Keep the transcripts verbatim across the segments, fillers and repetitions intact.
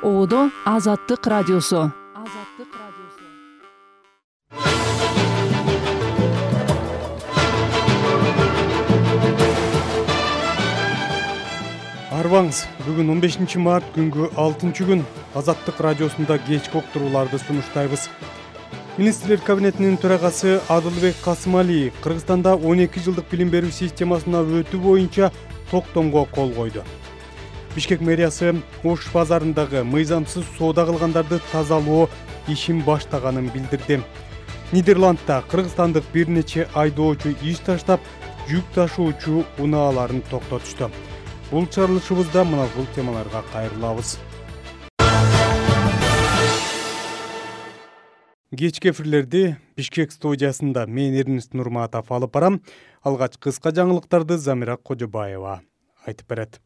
Оодо Азаттык радиосу. Азаттык радиосу. Арбаңыз, бүгүн он бешинчи март күнгү алтынчы күн. Азаттык радиосунда кечки уктурууларды сунуштайбыз. Министрлер кабинетинин төрагасы Адылбек Касымалиев Кыргызстанда он эки жылдык билим берүү системасына өтүү боюнча токтомго кол койду. Бишкек мэриясы Ош базарындагы мыйзамсыз соода кылгандарды тазалоо ишин баштаганын билдирди. Нидерландда кыргызстандык бир нече айдоочу иш таштап, жүк ташуучу унааларын токтотушту. Бул чыгарылышыбызда мына бул темаларга кайрылабыз. Кечки эфирлерди Бишкек студиясында мен Эрнест Нурматов алып барам. Алгач кыска жаңылыктарды Замира Кожобаева айтып берет.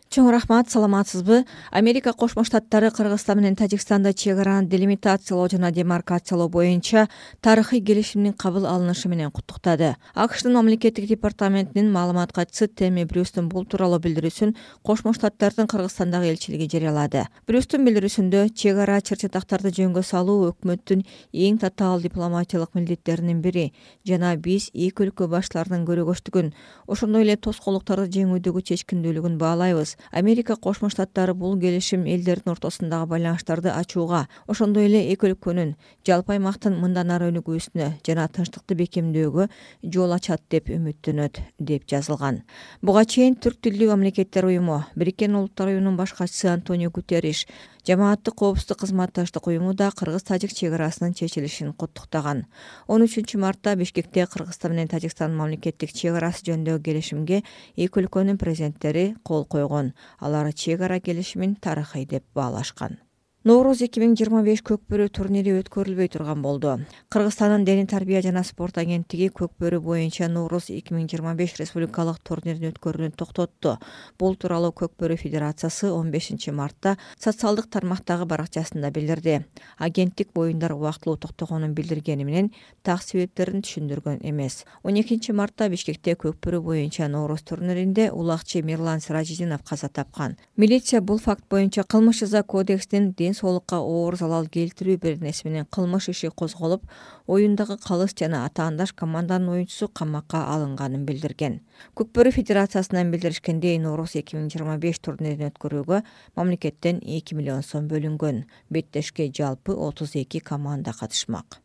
Чоң рахмат, саламатсызбы? Америка Кошмо Штаттары Кыргызстан менен Тажикстанда чек араны делимитациялоо жана демаркациялоо боюнча тарыхый келишимдин кабыл алынышы менен куттуктады. АКШтын мамлекеттик департаментинин маалымат катчысы Тэмми Брюстун бул тууралуу билдирүүсүн Кошмо Штаттардын Кыргызстандагы элчилиги жарыялады. Брюстун билдирүүсүндө чек ара чыр-чатактарды жөнгө салуу өкмөттүн эң татаал дипломатиялык милдеттеринин бири жана биз эки өлкө баштарынын көрөгөчтүгүн, ошондой эле тоскоолдуктарды жеңүүдөгү чечкиндүүлүгүн баалайбыз. Америка Кошмо Штаттары бул келишим элдердин ортосундагы байланыштарды ачууга, ошондой эле эки өлкөнүн жалпы аймактын мындан ары өнүгүүсүнө жана тынчтыкты бекемдөөгө жол ачат деп үмүттөнөт, деп жазылган. Буга чейин Түрк тилдүү мамлекеттер уюму, Бириккен Улуттар уюмунун баш катчысы Антонио Гутерриш, Жамааттык коопсуздук кызматташтык уюму да кыргыз-тажик чек арасынын чечилишин куттуктаган. он үчүнчү мартта Бишкекте Кыргызстан менен Тажикстандын мамлекеттик чек арасы жөнүндөгү келишимге эки өлкөнүн президенттери кол койгон. Алар чек ара келишимин тарыхый деп баалашкан. Нооруз эки миң жыйырма беш көкбөрү турнири өткөрүлбөй турган болду. Кыргызстандын Дене тарбия жана спорт агенттиги көкбөрү боюнча Нооруз эки миң жыйырма беш республикалык турнирин өткөрүүнү токтотту. Бул тууралуу Көкбөрү федерациясы он бешинчи мартта социалдык тармактагы баракчасында билдирди. Агенттик боюндар убактылуу токтогонун билдиргени менен так себептерин түшүндүргөн эмес. он экинчи мартта Бишкекте Көкбөрү боюнча Нооруз турниринде улакчы Мирлан Сиражидинов каза тапкан. Милиция бул факт боюнча кылмыш жаза кодексинин ден соолукка оор залал келтирүү беренеси менен кылмыш иши козголуп, оюндагы калыс жана атаандаш команданын оюнчусу камакка алынганын билдирген. Көкбөрү федерациясынан билдиришкендей, Нооруз эки миң жыйырма беш турнирин өткөрүүгө мамлекеттен эки миллион сом бөлүнгөн. Беттешке жалпы отуз эки команда катышмак.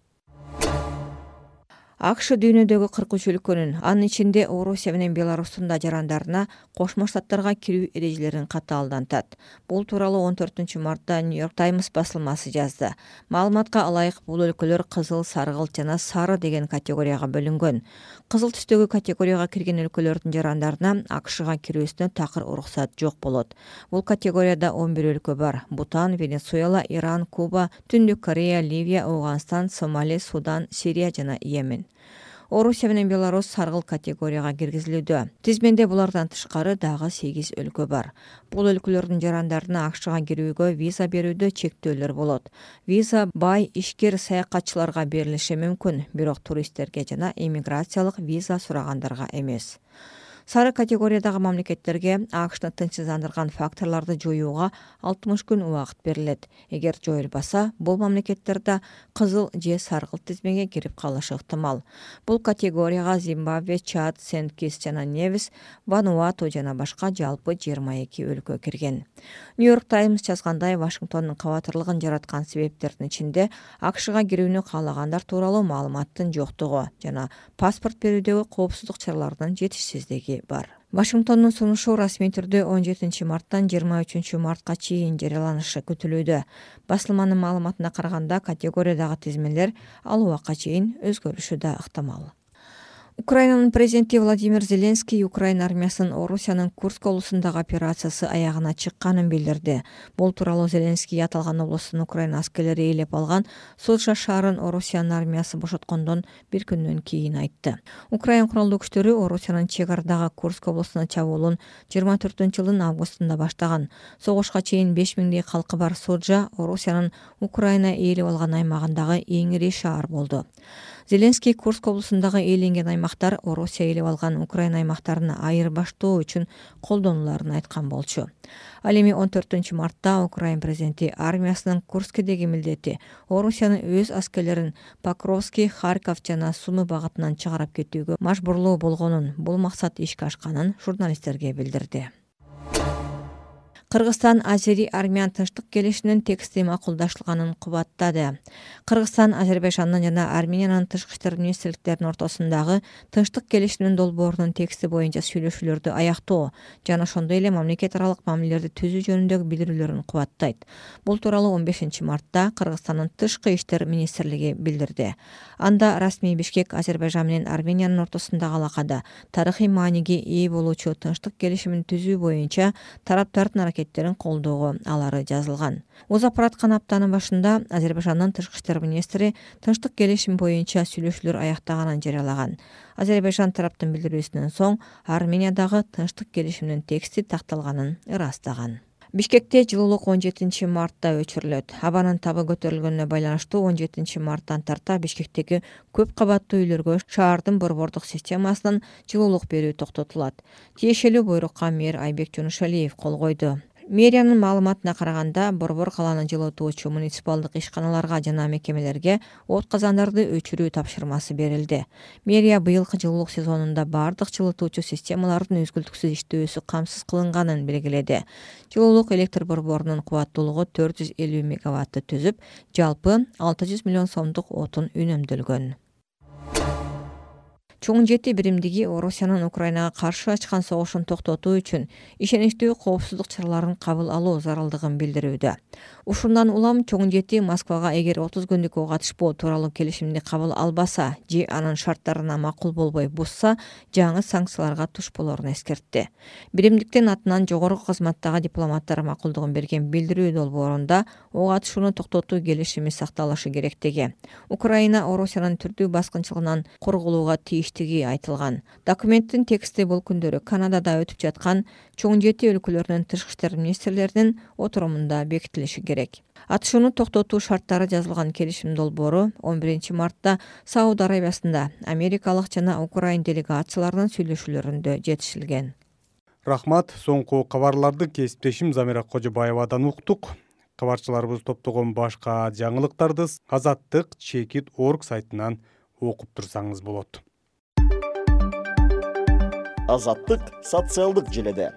АКШ дүйнөдөгү кырк үч өлкөнүн, анын ичинде Орусия менен Беларустун да жарандарына Кошмо Штаттарга кирүү эрежелерин катаалдантат. Бул тууралуу он төртүнчү мартта Нью-Йорк Таймс басылмасы жазды. Маалыматка ылайык бул өлкөлөр кызыл, саргылт жана сары деген категорияга бөлүнгөн. Кызыл түстөгү категорияга кирген өлкөлөрдүн жарандарына АКШга кирүүсүнө такыр уруксат жок болот. Бул категорияда он бир өлкө бар: Бутан, Венесуэла, Иран, Куба, Түндүк Корея, Ливия, Ауганстан, Сомали, Судан, Сирия жана Йемен. Орусия менен Беларус саргыл категорияга киргизилүүдө. Тизменде булардан тышкары дагы сегиз өлкө бар. Бул өлкөлөрдүн жарандарына АКШга кирүүгө виза берүүдө чектөөлөр болот. Виза бай ишкер саякатчыларга берилиши мүмкүн, бирок туристтерге жана иммиграциялык виза сурагандарга эмес. Сары категориядагы мамлекеттерге АКШны тынчсыздандырган факторлорду жоюуга алтымыш күн убакыт берилет. Эгер жоюлбаса, бул мамлекеттерде кызыл же саргылт тизмеге кирип калышы ыктымал. Бул категорияга Зимбабве, Чад, Сент-Китс жана Невис, Вануату жана башка жалпы жыйырма эки өлкө кирген. Нью-Йорк Таймс жазгандай, Вашингтондун кабатырлыгын жараткан себептердин ичинде АКШга кирүүнү каалагандар тууралуу маалыматтын жоктугу жана паспорт берүүдөгү коопсуздук чараларынын жетишсиздиги бар. Вашингтондун сунушу расмий түрдө он жетинчи марттан жыйырма үчүнчү мартка чейин жарыяланышы күтүлүүдө. Басылманын маалыматына караганда, категориядагы тизмелер ал убакка чейин өзгөрүшү да ыктымал. Украинанын президенти Владимир Зеленский Украина армиясынын Орусиянын Курск облусундагы операциясы аягына чыкканын билдирди. Бул тууралуу Зеленский аталган облустун Украина аскерлери ээлеп алган Суджа шаарын Орусиянын армиясы бошоткондон бир күндөн кийин айтты. Украина куралдуу күчтөрү Орусиянын чек арадагы Курск облусуна чабуулун жыйырма төртүнчү жылдын августунда баштаган. Согушка чейин беш миңдей калкы бар Суджа Орусиянын Украина ээлеп алган аймагындагы эң ири шаар болду. Зеленский Курск облусундагы ээленген аймак аймактар Орусия ээлеп алган Украина аймактарын айырбаштоо үчүн колдонуларын айткан болчу. Ал эми он төртүнчү мартта Украина президенти армиясынын Курскедеги милдети Орусиянын өз аскерлерин Покровский, Харьков жана Сумы багытынан чыгарып кетүүгө мажбурлоо болгонун, бул максат ишке ашканын журналисттерге билдирди. Кыргызстан Азери-Армян тынчтык келишиминин тексти макулдашылганын кубаттады. Кыргызстан Азербайжандын жана Армениянын тышкы иштер министрликтеринин ортосундагы тынчтык келишиминин долбоорунун тексти боюнча сүйлөшүүлөрдү аяктоо жана ошондой эле мамлекет аралык мамилелерди түзүү жөнүндөгү билдирүүлөрүн кубаттайт. Бул тууралуу он бешинчи мартта Кыргызстандын тышкы иштер министрлиги билдирди. Анда расмий Бишкек Азербайжан менен Армениянын ортосундагы алакада тарыхый мааниге ээ болуучу тынчтык келишимин түзүү боюнча тараптардын аракеттерин колдоого алары жазылган. Озап бараткан аптанын башында Азербайжандын тышкы иштер министри тынчтык келишим боюнча сүйлөшүүлөр аяктаганын жарыялаган. Азербайжан тараптын билдирүүсүнөн соң Армениядагы тынчтык келишиминин тексти такталганын ырастаган. Бишкекте жылуулук он жетинчи мартта өчүрүлөт. Абанын табы көтөрүлгөнүнө байланыштуу он жетинчи марттан тарта Бишкектеги көп кабаттуу үйлөргө шаардын борбордук системасынан жылуулук берүү токтотулат. Тиешелүү буйрукка мэр Айбек Жунушалиев кол койду. Мэриянын маалыматына караганда, борбор каланы жылытуучу муниципалдык ишканаларга жана мекемелерге от казандарды өчүрүү тапшырмасы берилди. Мэрия быйылкы жылуулук сезонунда бардык жылытуучу системалардын үзгүлтүксүз иштөөсү камсыз кылынганын белгиледи. Жылуулук электр борборунун кубаттуулугу төрт жүз элүү мегаватты түзүп, жалпы алты жүз миллион сомдук отун үнөмдөлгөн. Чоң жети биримдиги Орусиянын Украинага каршы ачкан согушун токтотуу үчүн ишеничтүү коопсуздук чараларын кабыл алуу зарылдыгын билдирүүдө. Ушундан улам Чоң жети Москвага эгер отуз күндүк ок атышпоо тууралуу келишимди кабыл албаса же анын шарттарына макул болбой бузса, жаңы санкцияларга туш болорун эскертти. Биримдиктин атынан жогорку кызматтагы дипломаттар макулдугун берген билдирүү долбоорунда ок атышууну токтотуу келишими сакталышы керектиги, Украина Орусиянын түрдүү баскынчылыгынан корголууга тийиштиги айтылган. Документтин тексти бул күндөрү Канадада өтүп жаткан Чоң жети өлкөлөрүнүн тышкы иштер министрлеринин отурумунда бекитилиши керек. Атышууну токтотуу шарттары жазылган келишим долбоору он биринчи мартта Сауд Арабиясында америкалык жана Украин делегацияларынын сүйлөшүүлөрүндө жетишилген. Рахмат, соңку кабарларды кесиптешим Замира Кожобаевадан уктук. Кабарчыларыбыз топтогон башка жаңылыктарды азаттык чекит точка орг сайтынан окуп турсаңыз болот. Азаттык социалдык желеде.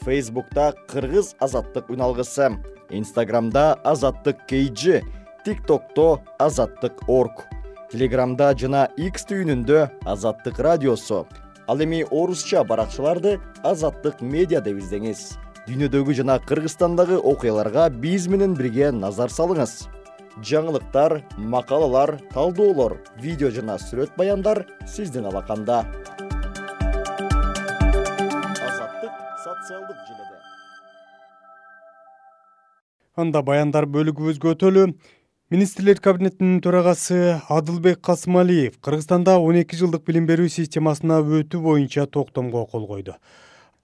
Фейсбукта Кыргыз азаттык үналгысы, Инстаграмда Азаттык кей джи, ТикТокто Азаттык точка орг, Телеграмда жана X түйүнүндө Азаттык радиосу. Ал эми орусча баракчаларды Азаттык медиа деп издеңиз. Дүйнөдөгү жана Кыргызстандагы окуяларга биз менен бирге назар салыңыз. Жаңылыктар, макалалар, талдоолор, видео жана сүрөт баяндар сиздин алаканда. Азаттык социалдык желеде. Анда баяндар бөлүгүбүзгө өтөлү. Министрлер кабинетинин төрагасы Адылбек Касымалиев Кыргызстанда он эки жылдык билим берүү системасына өтүү боюнча токтомго кол койду.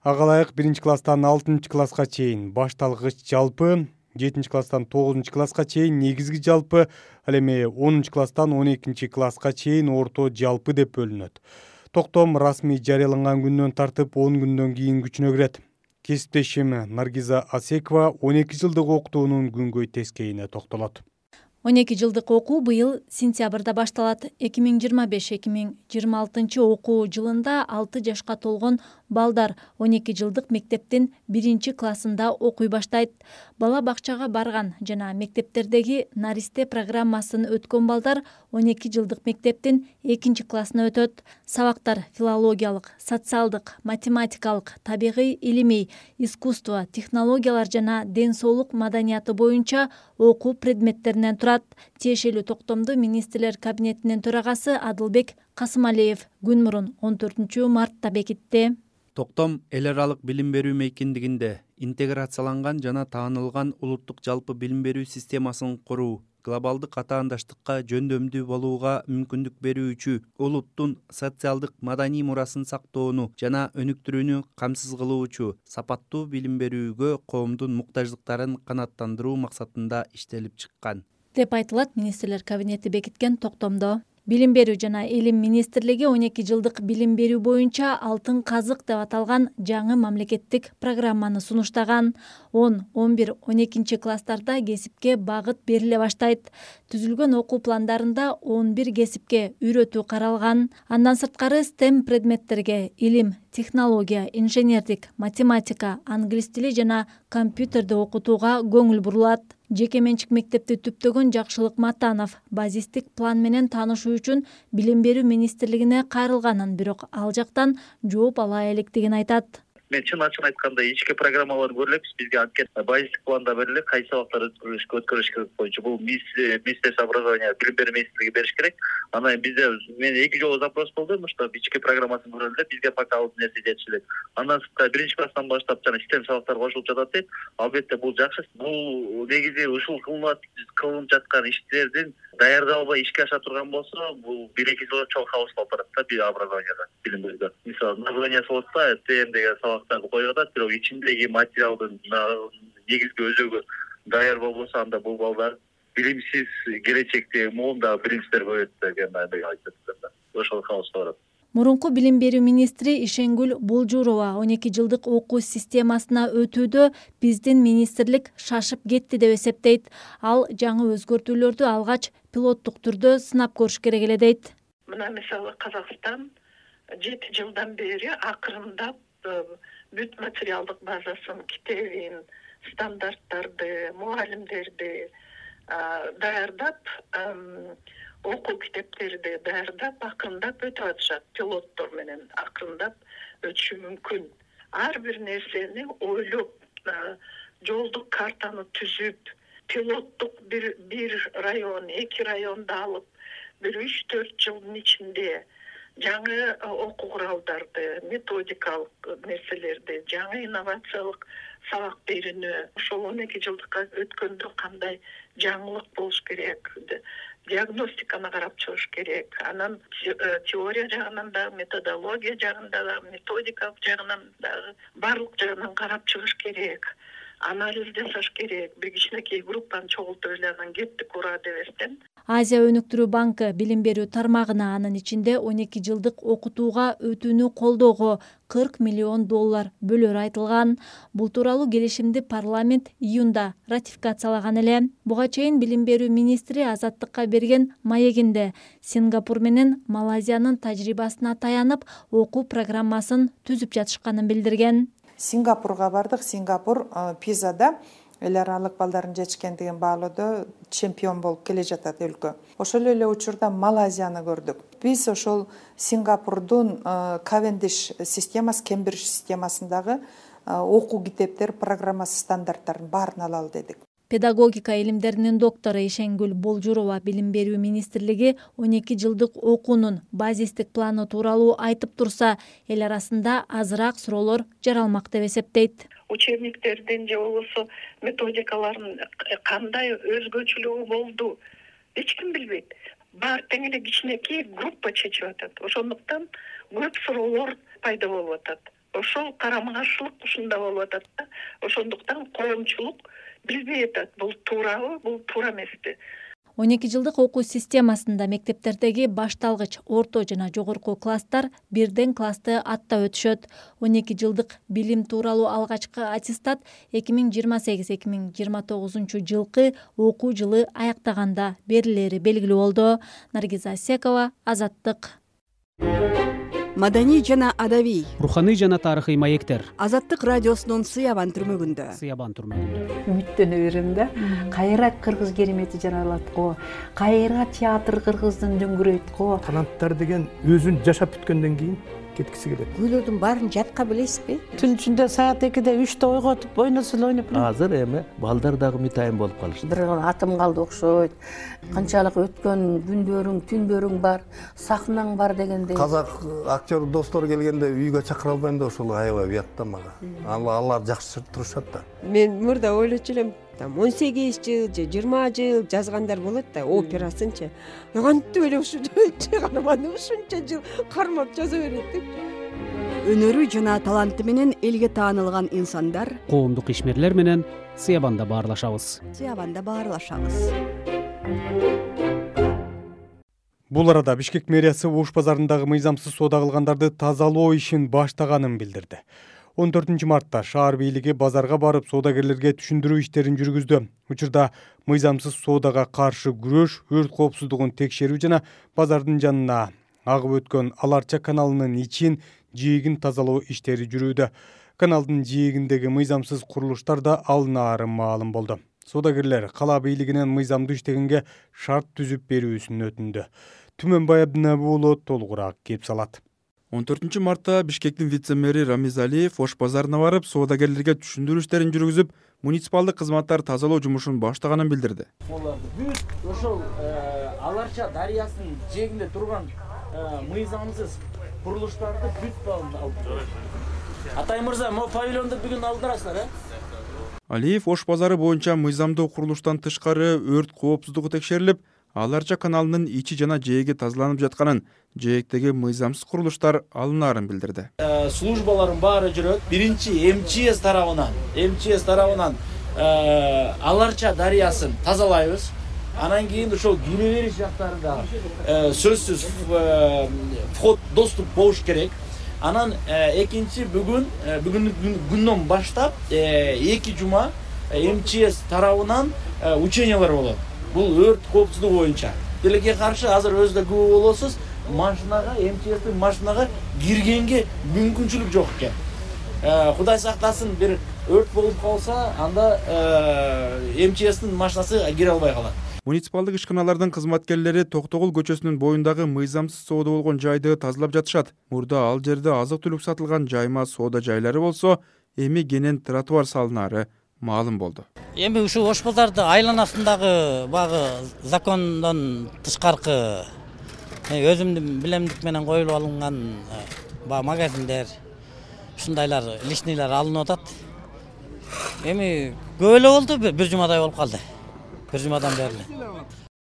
Ага ылайык биринчи класстан алтынчы класска чейин башталгыч жалпы, жетинчи класстан тогузунчу класска чейин негизги жалпы, ал эми онунчу класстан он экинчи класска чейин орто жалпы деп бөлүнөт. Токтом расмий жарыяланган күндөн тартып он күндөн кийин күчүнө кирет. Кесиптешим Наргиза Асекова он эки жылдык окутуунун күнгөй тескейине токтолот. он эки жылдык окуу быйыл сентябрда башталат. эки миң жыйырма беш эки миң жыйырма алтынчы окуу жылында алты жашка толгон балдар он эки жылдык мектептин биринчи классында окуй баштайт. Бала бакчага барган жана мектептердеги наристе программасын өткөн балдар он эки жылдык мектептин экинчи классына өтөт. Сабактар филологиялык, социалдык, математикалык, табигый илимий, искусство, технологиялар жана ден соолук маданияты боюнча окуу предметтеринен турат. Тиешелүү токтомду министрлер кабинетинин төрагасы Адылбек Касымалиев күн мурун он төртүнчү мартта бекитти. Токтом эл аралык билим берүү мейкиндигинде интеграцияланган жана таанылган улуттук жалпы билим берүү системасын куруу, глобалдык атаандаштыкка жөндөмдүү болууга мүмкүндүк берүүчү улуттун социалдык маданий мурасын сактоону жана өнүктүрүүнү камсыз кылуучу сапаттуу билим берүүгө коомдун муктаждыктарын канааттандыруу максатында иштелип чыккан деп айтылат министрлер кабинети бекиткен токтомдо. Билим берүү жана илим министрлиги он эки жылдык билим берүү боюнча алтын казык деп аталган жаңы мамлекеттик программаны сунуштаган. он, он бир, он экинчи класстарда кесипке багыт бериле баштайт. Түзүлгөн окуу пландарында он бир кесипке үйрөтүү каралган. Андан сырткары стем предметтерге илим, технология, инженердик, математика, англис тили жана компьютерди окутууга көңүл бурулат. Жеке менчик мектепти түптөгөн Жакшылык Матанов базистик план менен таанышуу үчүн билим берүү министрлигине кайрылганын, бирок ал жактан жооп ала электигин айтат. Мен чын ачык айтканда ички программаларды көрө элекпиз. Бизге анткени базистик планда берилет, кайсы сабактарды өткөрүш өткөрүш керек боюнча. Бул министерство образования билим берүү министрлиги бериш керек. Анан бизде мен эки жолу запрос болду, что ички программасын көрөлү деп, бизге пока ал нерсе жетишилет. Андан сырткары биринчи класстан баштап жана стем сабактар кошулуп жатат дейт. Албетте бул жакшы. Бул негизи ушул кылынып кылынып жаткан иштердин даярдалбай ишке аша турган болсо, бул бир-эки жылда чоң хаос болуп барат да бир образованияда, билим берүүдө. Мисалы, название болот да, тем деген сабактарды коюп атат, бирок ичиндеги материалдын негизги өзөгү даяр болбосо, анда бул балдар билимсиз келечекте моунда билимсиздер көрөт деген айтат да. Ошол хаос барат. Мурунку билим берүү министри Ишенгүл Болжурова он эки жылдык окуу системасына өтүүдө биздин министрлик шашып кетти деп эсептейт. Ал жаңы өзгөртүүлөрдү алгач пилоттук түрдө сынап көрүш керек эле дейт. Мына мисалы Казакстан жети жылдан бери акырындап бүт материалдык базасын, китебин, стандарттарды, мугалимдерди даярдап, окуу китептерди даярдап, акырындап өтүп атышат. Пилоттор менен акырындап өтүшү мүмкүн. Ар бир нерсени ойлоп, жолдук картаны түзүп, пилоттук бир бир район, эки районду алып, бир үч төрт жылдын ичинде жаңы окуу куралдарды, методикалык нерселерди, жаңы инновациялык сабак берүүнү, ошол он эки жылдыкка өткөндө кандай жаңылык болуш керек, диагностиканы карап чыгыш керек. Анан теория жагынан дагы, методология жагынан дагы, методикалык жагынан дагы баардык жагынан карап чыгыш керек. Анализ жасаш керек. Бир кичинекей группаны чогултуп эле анан кеттик ура дебестен. Азия өнүктүрүү банкы билим берүү тармагына, анын ичинде он эки жылдык окутууга өтүүнү колдоого кырк миллион доллар бөлөөрү айтылган. Бул тууралуу келишимди парламент июнда ратификациялаган эле. Буга чейин билим берүү министри Азаттыкка берген маегинде Сингапур менен Малайзиянын тажрыйбасына таянып, окуу программасын түзүп жатышканын билдирген. Сингапурга бардык. Сингапур пизада эл аралык балдардын жетишкендигин баалоодо чемпион болуп келе жатат өлкө. Ошол эле учурда Малайзияны көрдүк. Биз ошол Сингапурдун Кавендиш системасы, Кембридж системасындагы окуу китептер программасы стандарттарын баарын алалы дедик. Педагогика илимдеринин доктору Ишенгүл Болжурова билим берүү министрлиги он эки жылдык окуунун базистик планы тууралуу айтып турса, эл арасында азыраак суроолор жаралмак деп эсептейт. Учебниктердин же болбосо методикалардын кандай өзгөчөлүгү болду, эч ким билбейт. Баары тең эле кичинекей группа чечип атат. Ошондуктан көп суроолор пайда болуп атат. Ошол карама-каршылык ушунда болуп атат да. Ошондуктан коомчулук билбей атат, бул туурабы, бул туура эмеспи. он эки жылдык окуу системасында мектептердеги башталгыч, орто жана жогорку класстар бирден классты аттап өтүшөт. он эки жылдык билим тууралуу алгачкы аттестат эки миң жыйырма сегиз эки миң жыйырма тогузунчу жылкы окуу жылы аяктаганда берилери белгилүү болду. Наргиза Асекова, Азаттык. Маданий жана адабий, руханий жана тарыхый маектер. Азаттык радиосунун Сыябан түрмөгүндө. Сыябан түрмөгүндө. Үмүттөнө берем да. Кайра кыргыз керемети жаралат го. Кайра театр кыргыздын дөңгүрөйт го. Канаттар деген өзүн жашап бүткөндөн кийин кеткиси келет. Күйлөрдүн баарын жатка билесизби? Түн ичинде саат экиде үчтө ойготуп ойносо эле ойноп. Азыр эми балдар дагы мытайын болуп калышты. Бир атым калды окшойт. Канчалык өткөн күндөрүң, түндөрүң бар, сахнаң бар дегендей. Казак актер достор келгенде үйгө чакыра албайм да ошол аябай уят да мага. Алар жакшы турушат да. Мен мурда ойлочу элем, там он сегиз жыл же жыйырма жыл жазгандар болот да, операсынчы. Кантип эле ушу чыгарманы ушунча жыл кармап жаза берет деп. Өнөрү жана таланты менен элге таанылган инсандар, коомдук ишмерлер менен Сыябанда баарлашабыз. Сыябанда баарлашабыз. Бул арада Бишкек мэриясы Ош базарындагы мыйзамсыз соода кылгандарды тазалоо ишин баштаганын билдирди. он төртүнчү мартта шаар бийлиги базарга барып соодагерлерге түшүндүрүү иштерин жүргүздү. Учурда мыйзамсыз соодага каршы күрөш, өрт коопсуздугун текшерүү жана базардын жанына агып өткөн Аларча каналынын ичин, жээгин тазалоо иштери жүрүүдө. Каналдын жээгиндеги мыйзамсыз курулуштар да алынаары маалым болду. Соодагерлер кала бийлигинен мыйзамдуу иштегенге шарт түзүп берүүсүн өтүндү. Түмөнбай Абдинабы уулу толугураак кеп салат. он төртүнчү мартта Бишкектин вице-мэри Рамиз Алиев Ош базарына барып, соодагерлерге түшүндүрүү иштерин жүргүзүп, муниципалдык кызматтар тазалоо жумушун баштаганын билдирди. Бүт ошол Аларча дарыясынын жээгинде турган мыйзамсыз курулуштарды бүт алды. Атай мырза, могу павильонду бүгүн алдырасыздар, э? Алиев Ош базары боюнча мыйзамдуу курулуштан тышкары өрт коопсуздугу текшерилип, Аларча каналынын ичи жана жээги тазаланып жатканын, жээктеги мыйзамсыз курулуштар алынаарын билдирди. Службалардын баары жүрөт. Биринчи эм че эс тарабынан, эм че эс тарабынан Аларча дарыясын тазалайбыз. Анан кийин ошол кире бериш жактарында сөзсүз вход, доступ болуш керек. Анан экинчи бүгүн бүгүнкү күндөн баштап эки жума эм че эс тарабынан учениялар болот. Бул өрт коопсуздугу боюнча. Тилекке каршы азыр өзү да күбө болосуз, машинага, эм че эстин машинага киргенге мүмкүнчүлүк жок экен. Кудай сактасын, бир өрт болуп калса, анда эм че эстин машинасы кире албай калат. Муниципалдык ишканалардын кызматкерлери Токтогул көчөсүнүн боюндагы мыйзамсыз соода болгон жайды тазалап жатышат. Мурда ал жерде азык-түлүк сатылган жайма соода жайлары болсо, эми кенен тротуар салынаары маалым болду. Эми ушул Ош базарды айланасындагы багы закондон тышкаркы өзүмдүн билемдик менен коюлуп алынган ба магазиндер, ушундайлар лишнийлер алынып атат. Эми көп эле болду, бир жумадай болуп калды. Бир жумадан бери.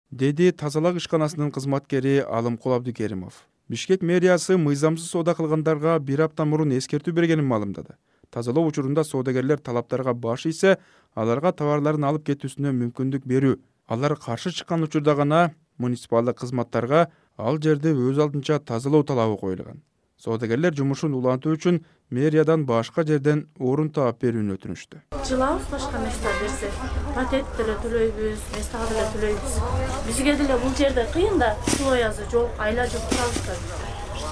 Деди тазалак ишканасынын кызматкери Алымкул Абдыкеримов. Бишкек мэриясы мыйзамсыз соода кылгандарга бир апта мурун эскертүү бергенин маалымдады. Тазалоо учурунда соодагерлер талаптарга баш ийсе, аларга товарларын алып кетүүсүнө мүмкүндүк берүү. Алар каршы чыккан учурда гана муниципалдык кызматтарга ал жерде өз алдынча тазалоо талабы коюлган. Соодагерлер жумушун улантуу үчүн мэриядан башка жерден орун таап берүүнү өтүнүштү. Жылабыз башка места берсе, патент деле төлөйбүз, места деле төлөйбүз. Бизге деле бул жерде кыйын да, условиясы жок, айла жок турабыз да.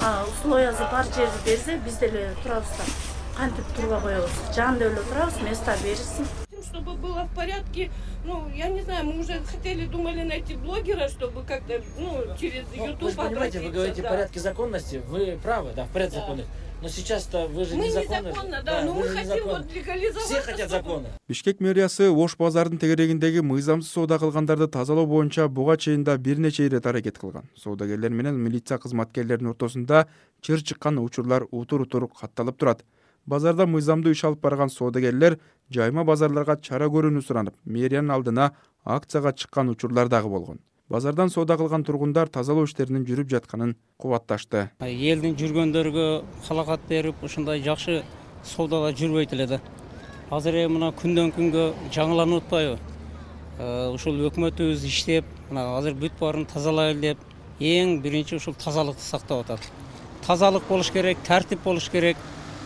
А условиясы бар жерди берсе, биз деле турабыз да. Кантип турбай коебуз. Жанда эле турабыз, места беришсин. Чтобы было в порядке, ну, я не знаю, мы уже хотели, думали найти блогера, чтобы как-то, ну, через YouTube. Вы же понимаете, вы говорите в порядке законности, вы правы, да, в порядке законности. Но сейчас-то вы же незаконно. Мы незаконно, да, но мы хотим вот легализовать. Все хотят закона. Бишкек мэриясы Ош базардын тегерегиндеги мыйзамсыз соода кылгандарды тазалоо боюнча буга чейин да бир нече ирет аракет кылган. Соодагерлер менен милиция кызматкерлеринин ортосунда чыр чыккан учурлар утур-утур катталып турат. Базарда мыйзамдуу иш алып барган соодагерлер жайма базарларга чара көрүүнү суранып, мэриянын алдына акцияга чыккан учурлар дагы болгон. Базардан соода кылган тургундар тазалоо иштеринин жүрүп жатканын кубатташты. Элдин жүргөндөргө халакат берип, ушундай жакшы соодада жүрбөйт эле да. Азыр эми мына күндөн күнгө жаңыланып атпайбы? Ушул өкмөтүбүз иштеп, мына азыр бүт баарын тазалайлы деп, эң биринчи ушул тазалыкты сактап атат. Тазалык болуш керек, тартип болуш керек.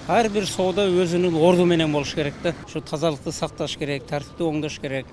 Ар бир соода өзүнүн орду менен болуш керек да. Ушу тазалыкты сакташ керек, тартипти оңдош керек,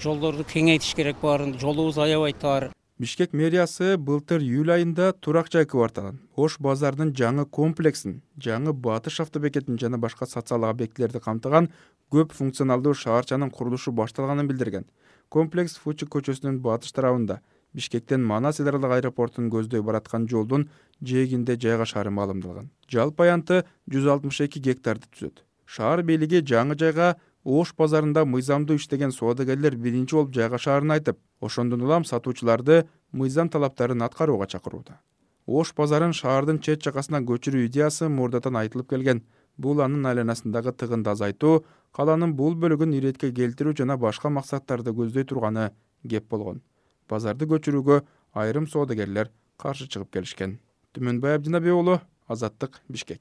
жолдорду кеңейтиш керек баарын, жолубуз аябай тар. Бишкек мэриясы былтыр июль айында турак жай кварталын, Ош базардын жаңы комплексин, жаңы Батыш автобекетин жана башка социалдык объектилерди камтыган көп функционалдуу шаарчанын курулушу башталганын билдирген. Комплекс Фучик көчөсүнүн батыш тарабында Бишкектен Манас эл аралык аэропортун көздөй бараткан жолдун жээгинде жайгашаары маалымдалган. Жалпы аянты жүз алтымыш эки гектарды түзөт. Шаар бийлиги жаңы жайга Ош базарында мыйзамдуу иштеген соодагерлер биринчи болуп жайгашаарын айтып, ошондон улам сатуучуларды мыйзам талаптарын аткарууга чакырууда. Ош базарын шаардын чет жакасына көчүрүү идеясы мурдатан айтылып келген. Бул анын айланасындагы тыгынды азайтуу, каланын бул бөлүгүн иретке келтирүү жана башка максаттарды көздөй турганы кеп болгон. Базарды көчүрүүгө айрым соодагерлер каршы чыгып келишкен. Түмөнбай Абдинабы уулу, Азаттык, Бишкек.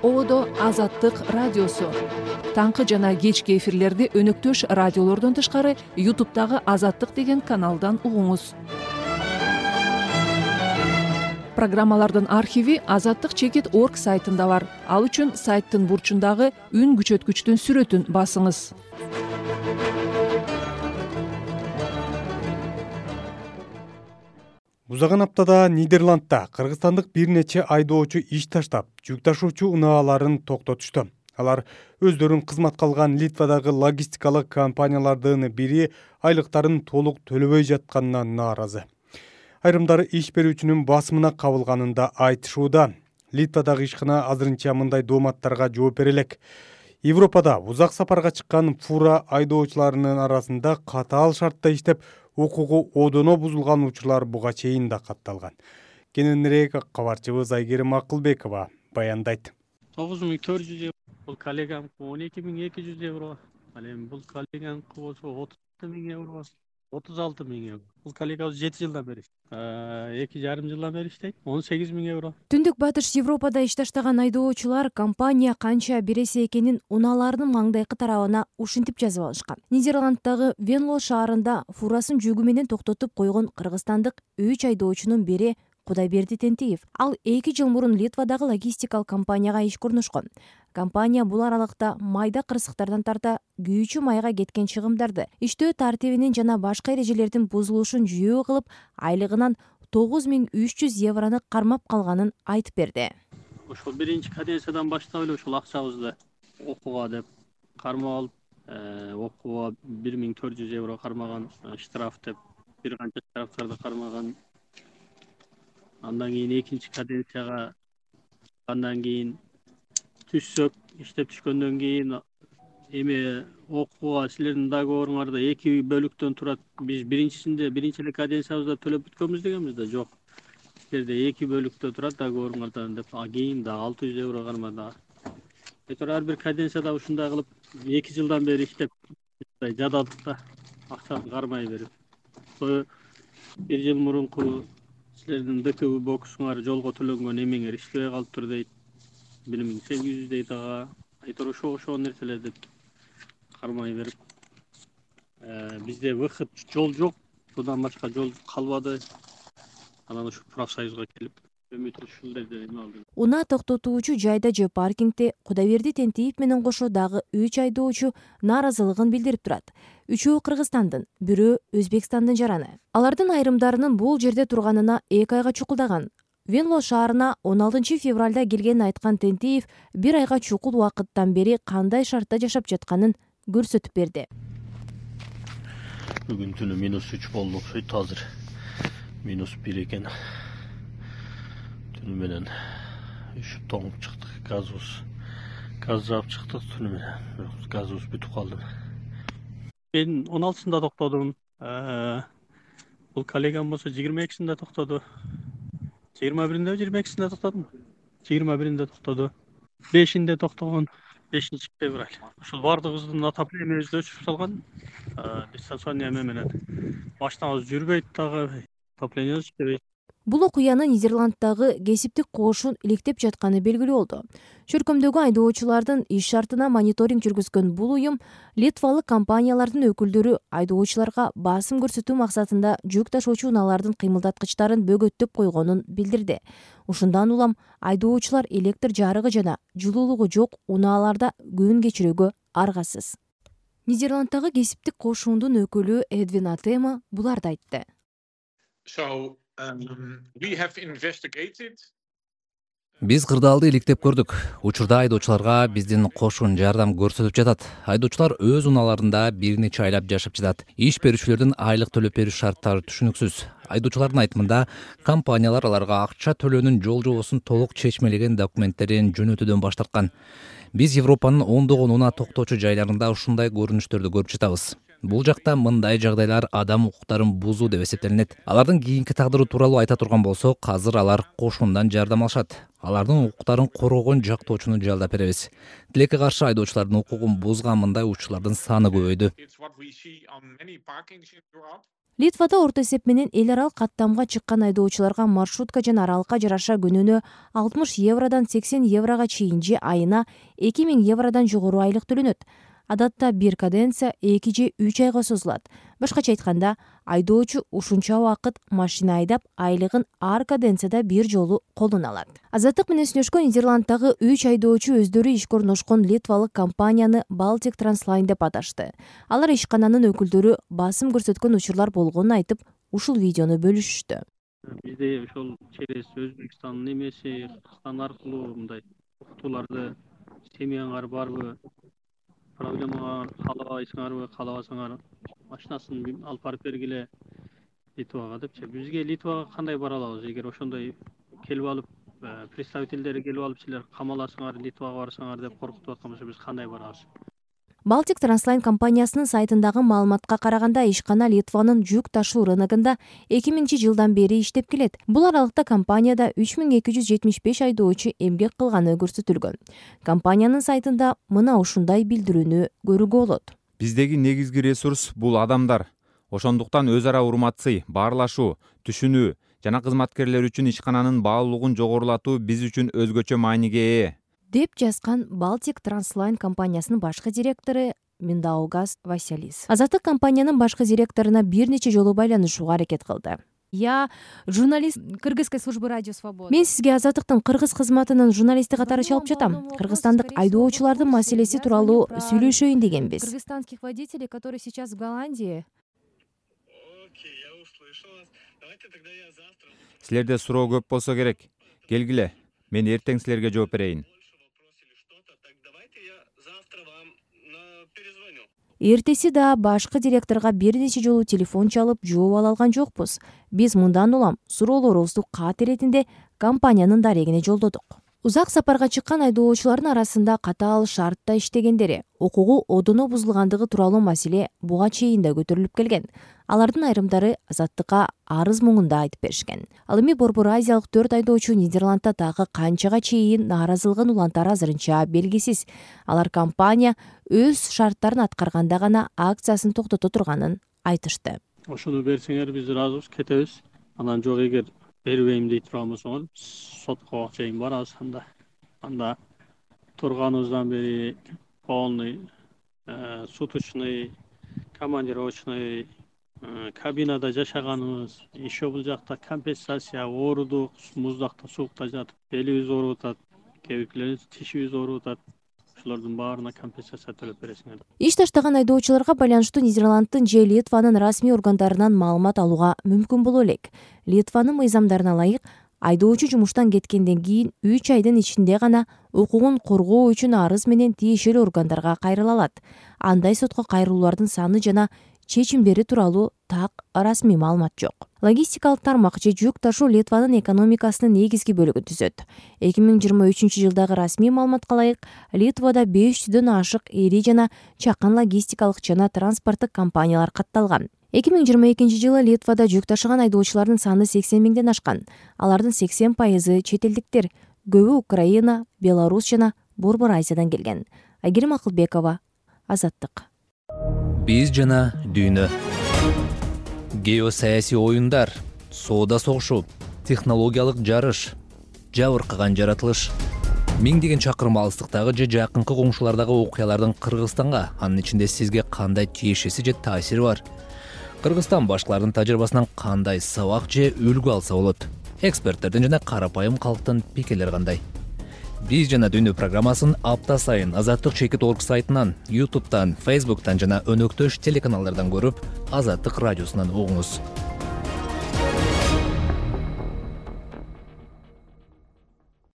Ободо Азаттык радиосу. Таңкы жана кечки эфирлерди өнөктөш радиолордон тышкары ютубтагы Азаттык деген каналдан угуңуз. программалардын архиви азаттык чекит орг сайтында бар. Ал үчүн сайттын бурчундагы үн күчөткүчтүн сүрөтүн басыңыз. Узаган аптада Нидерландда кыргызстандык бир нече айдоочу иш таштап, жүк ташуучу унааларын токтотушту. Алар өздөрүн кызматка алган Литвадагы логистикалык компаниялардын бири айлыктарын толук төлөбөй жатканына нааразы. Айрымдары иш берүүчүнүн басымына кабылганында айтышууда. Литвадагы ишкана азырынча мындай дооматтарга жооп бере элек. Европада узак сапарга чыккан фура айдоочуларынын арасында катаал шартта иштеп, укугу одоно бузулган учурлар буга чейин да катталган. Кененирээк кабарчыбыз Айгерим Акылбекова баяндайт. тогуз миң төрт жүз евро, бул коллеганыкы он эки миң эки жүз евро, ал эми бул коллеганыкы болсо отуз алты миң евро, отуз алты миң евро. Бул коллегабыз жети жылдан бери, эки жарым жылдан бери иштейт, он сегиз миң евро. Түндүк батыш Европада иш таштаган айдоочулар компания канча бересе экенин унааларынын маңдайкы тарабына ушинтип жазып алышкан. Нидерланддагы Венло шаарында фурасын жүгү менен токтотуп койгон кыргызстандык үч айдоочунун бири Кудайберди Тентиев. Ал эки жыл мурун Литвадагы логистикалык компанияга иш көрүнүшкөн. Компания бул аралыкта майда кырсыктардан тарта күйүүчү майга кеткен чыгымдарды, иштөө тартибинин жана башка эрежелердин бузулушун жүйөө кылып, айлыгынан тогуз миң үч жүз евроны кармап калганын айтып берди. Ошол биринчи каденциядан баштап эле ушул акчабызды окууга деп кармап алып, окууга бир миң төрт жүз евро кармаган, штраф деп бир канча штрафтарды кармаган. Андан кийин экинчи каденцияга андан кийин түшсөк, иштеп түшкөндөн кийин эми окууга силердин договоруңарда эки бөлүктөн турат. Биз биринчисинде биринчи эле каденциябызда төлөп бүткөнбүз дегенбиз да, жок. Силерде эки бөлүктө турат договоруңардан деп, а кийин да алты жүз евро кармады. Этор ар бир каденцияда ушундай кылып эки жылдан бери иштеп жададык да, акчаны кармай берип. Бир жыл мурунку силердин ДКБ боксуңар жолго төлөнгөн эмеңер иштебей калыптыр дейт. бир миң сегиз жүз дейт ага. Айтор ошо ошо нерселерди кармай берип. Бизде выход жол жок. Будан башка жол калбады. Анан ушу профсоюзга келип үмүт ушулерди эме алдым. Унаа токтотуучу жайда же паркингде Кудайберди Тентиев менен кошо дагы үч айдоочу нааразылыгын билдирип турат. Үчөө Кыргызстандын, бирөө Өзбекстандын жараны. Алардын айрымдарынын бул жерде турганына эки айга чукулдаган. Венло шаарына он алтынчы февралда келгенин айткан Тентиев бир айга чукул убакыттан бери кандай шартта жашап жатканын көрсөтүп берди. Бүгүн түнү минус үч болду окшойт, азыр минус бир экен. Түнү менен үшүп тоңуп чыктык, газыбыз газ жаап чыктык түнү менен. Газыбыз бүтүп калды. Мен он алтысында токтодум. Бул коллегам болсо жыйырма экисинде токтоду. жыйырма биринде жыйырма экисинде токтодум. жыйырма биринде токтоду. бешинде токтогон, бешинчи февраль. Ушул бардыгыбыздын отоплениябызды өчүрүп салган. Дистанционный эме менен. Машинабыз жүрбөйт дагы, отопление иштебейт. Бул окуяны Нидерланддагы кесиптик кошун иликтеп жатканы белгилүү болду. Чөркөмдөгү айдоочулардын иш шартына мониторинг жүргүзгөн бул уюм литвалык компаниялардын өкүлдөрү айдоочуларга басым көрсөтүү максатында жүк ташуучу унаалардын кыймылдаткычтарын бөгөттөп койгонун билдирди. Ушундан улам айдоочулар электр жарыгы жана жылуулугу жок унааларда күн кечирүүгө аргасыз. Нидерланддагы кесиптик кошундун өкүлү Эдвин Атема буларды айтты. Биз кырдаалды иликтеп көрдүк. Учурда айдоочуларга биздин кошун жардам көрсөтүп жатат. Айдоочулар өз унааларында бир нече айлап жашап жатат. Иш берүүчүлөрдүн айлык төлөп берүү шарттары түшүнүксүз. Айдоочулардын айтымында, компаниялар аларга акча төлөөнүн жол жобосун толук чечмелеген документтерин жөнөтүүдөн баш тарткан. Биз Европанын ондогон унаа токтоочу жайларында ушундай көрүнүштөрдү көрүп жатабыз. Бул жакта мындай жагдайлар адам укуктарын бузуу деп эсептелинет. Алардын кийинки тагдыры тууралуу айта турган болсок, азыр алар кошундан жардам алышат. Алардын укуктарын коргогон жактоочуну жалдап беребиз. Тилекке каршы айдоочулардын укугун бузган мындай учурлардын саны көбөйдү. Литвада орто эсеп менен эл аралык каттамга чыккан айдоочуларга маршрутка жана аралыкка жараша күнүнө алтымыш евродон сексен еврого чейин же айына эки миң евродон жогору айлык төлөнөт. Адатта бир каденция эки же үч айга созулат. башкача айтканда айдоочу ушунча убакыт машина айдап айлыгын ар каденцияда бир жолу колуна алат. Азаттык менен сүйлөшкөн Нидерланддагы үч айдоочу өздөрү ишке орношкон литвалык компанияны Baltic Transline деп аташты. Алар ишкананын өкүлдөрү басым көрсөткөн учурлар болгонун айтып, ушул видеону бөлүшүштү. Бизде ошол через Өзбекстандын эмеси, Кыргызстан аркылуу мындай уктууларды семьяңар барбы, проблемаңар каалабайсыңарбы, каалабасаңар машинасын алып барып бергиле Литвага депчи. Бизге Литвага кандай бара алабыз? Эгер ошондой келип алып, представительдери келип алып силер камаласыңар, Литвага барсаңар деп коркутуп аткан болсо, биз кандай барабыз? Baltic Transline компаниясынын сайтындагы маалыматка караганда ишкана Литванын жүк ташуу рыногунда эки миңинчи жылдан бери иштеп келет. Бул аралыкта компанияда үч миң эки жүз жетимиш беш айдоочу эмгек кылганы көрсөтүлгөн. Компаниянын сайтында мына ушундай билдирүүнү көрүүгө болот. Биздеги негизги ресурс бул адамдар. Ошондуктан өз ара урматсый, баарлашуу, түшүнүү жана кызматкерлер үчүн ишкананын баалуулугун жогорулатуу биз үчүн өзгөчө мааниге ээ деп жазган Baltic Transline компаниясынын башкы директору Миндаугас Василис. Азаттык компаниянын башкы директоруна бир нече жолу байланышууга аракет кылды. Я журналист Кыргызской службы радио Свобода. Мен сизге Азаттыктын кыргыз кызматынын журналисти катары чалып жатам. Кыргызстандык айдоочулардын маселеси тууралуу сүйлөшөйүн дегенбиз. Кыргызстанских водителей, которые сейчас в Голландии. Силерде суроо көп болсо керек. Келгиле, мен эртең силерге жооп берейин. Эртеси да башкы директорго бир нече жолу телефон чалып жооп ала алган жокпуз. Биз мындан улам суроолорубузду кат иретинде компаниянын дарегине жолдодук. Узак сапарга чыккан айдоочулардын арасында катаал шартта иштегендери, укугу одоно бузулгандыгы тууралуу маселе буга чейин да көтөрүлүп келген. Алардын айрымдары Азаттыкка арыз муңунда айтып беришкен. Ал эми Борбор Азиялык төрт айдоочу Нидерландда дагы канчага чейин нааразылыгын улантары азырынча белгисиз. Алар компания өз шарттарын аткарганда гана акциясын токтото турганын айтышты. Ошону берсеңер биз ыраазыбыз, кетебиз. Анан жок эгер бербейм дейт турган болсоңор, сотко чейин барабыз. Анда анда турганыбыздан бери полный суточный, командировочный кабинада жашаганыбыз, еще бул жакта компенсация, оорудук, муздакта, суукта жатып, белибиз ооруп атат, кээ-биркилерибиз тишибиз ооруп атат. Ошолордун баарына компенсация төлөп бересиңер. Иш таштаган айдоочуларга байланыштуу Нидерланддын же Литванын расмий органдарынан маалымат алууга мүмкүн боло элек. Литванын мыйзамдарына ылайык, айдоочу жумуштан кеткенден кийин үч айдын ичинде гана укугун коргоо үчүн арыз менен тиешелүү органдарга кайрыла алат. Андай сотко кайрылуулардын саны жана чечимдери тууралуу так расмий маалымат жок. Логистикалык тармак же жүк ташуу Литванын экономикасынын негизги бөлүгүн түзөт. эки миң жыйырма үчүнчү жылдагы расмий маалыматка ылайык, Литвада беш жүздөн ашык ири жана чакан логистикалык жана транспорттук компаниялар катталган. эки миң жыйырма экинчи жылы Литвада жүк ташыган айдоочулардын саны сексен миңден ашкан. Алардын сексен пайызы чет элдиктер, көбү Украина, Беларусь жана Борбор Азиядан келген. Айгерим Акылбекова, Азаттык. Биз жана дүйнө. Геосаясий оюндар, соода согушу, технологиялык жарыш, жабыркаган жаратылыш. Миңдеген чакырым алыстыктагы же жакынкы коңшулардагы окуялардын Кыргызстанга, анын ичинде сизге кандай тиешеси же таасири бар? Кыргызстан башкалардын тажрыйбасынан кандай сабак же үлгү алса болот? Эксперттердин жана карапайым калктын пикирлери кандай? Биз жана дүйнө программасын апта сайын Азаттык чекит орг сайтынан, ютубтан, фейсбуктан жана өнөктөш телеканалдардан көрүп, Азаттык радиосунан угуңуз.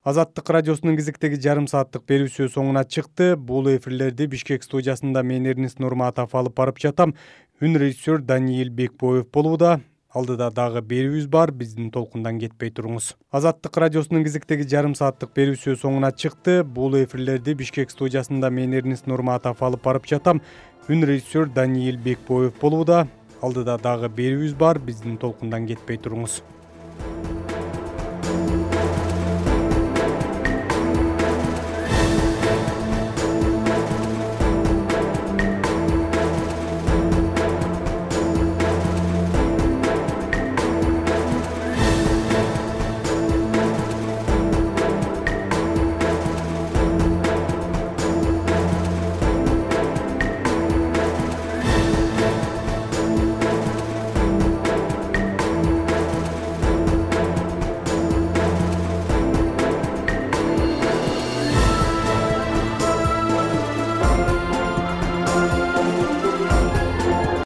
Азаттык радиосунун кезектеги жарым сааттык берүүсү соңуна чыкты. Бул эфирлерди Бишкек студиясында мен Эрнис Нурматов алып барып жатам. Үн режиссер Даниил Бекбоев болууда. Алдыда дагы берүүбүз бар, биздин толкундан кетпей туруңуз. Азаттык радиосунун кезектеги жарым сааттык берүүсү соңуна чыкты. Бул эфирлерди Бишкек студиясында мен Эрнис Нурматов алып барып жатам. Үн режиссер Даниил Бекбоев болууда. Алдыда дагы берүүбүз бар, биздин толкундан кетпей туруңуз.